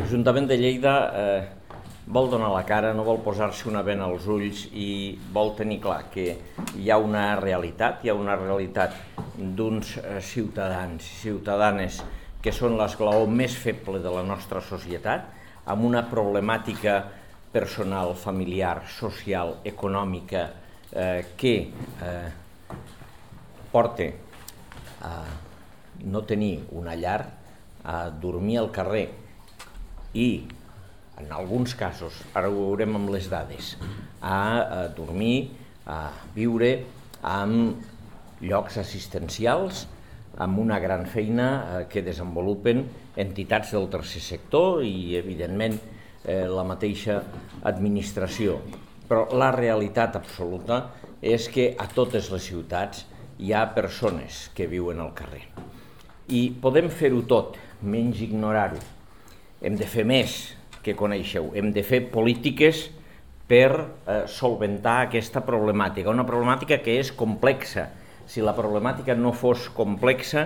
L'Ajuntament de Lleida vol donar la cara, no vol posar-se una bena als ulls i vol tenir clar que hi ha una realitat, d'uns ciutadans i ciutadanes que són l'esglaó més feble de la nostra societat, amb una problemàtica personal, familiar, social, econòmica que porta a no tenir una llar, a dormir al carrer i, en alguns casos, ara ho veurem amb les dades, a dormir, a viure en llocs assistencials, amb una gran feina que desenvolupen entitats del tercer sector i, evidentment, la mateixa administració. Però la realitat absoluta és que a totes les ciutats hi ha persones que viuen al carrer. I podem fer-ho tot, menys ignorar-ho. Hem de fer més que coneixeu, hem de fer polítiques per solventar aquesta problemàtica, una problemàtica que és complexa. Si la problemàtica no fos complexa,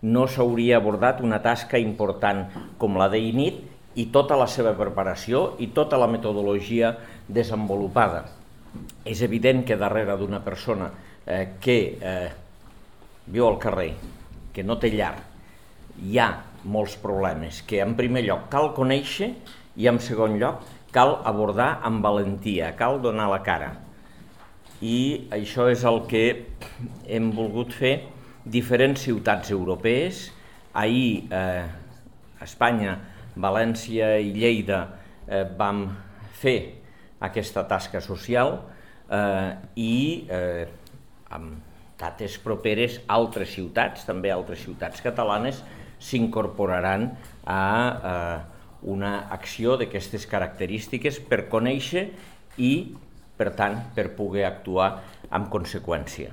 no s'hauria abordat una tasca important com la d'INIT i tota la seva preparació i tota la metodologia desenvolupada. És evident que darrere d'una persona que viu al carrer, que no té llar, hi ha molts problemes que en primer lloc cal conèixer i en segon lloc cal abordar amb valentia, cal donar la cara. I això és el que hem volgut fer diferents ciutats europees. Ahir a Espanya, València i Lleida vam fer aquesta tasca social i amb dates properes altres ciutats, també altres ciutats catalanes, s'incorporaran a una acció d'aquestes característiques per conèixer i, per tant, per poder actuar en conseqüència.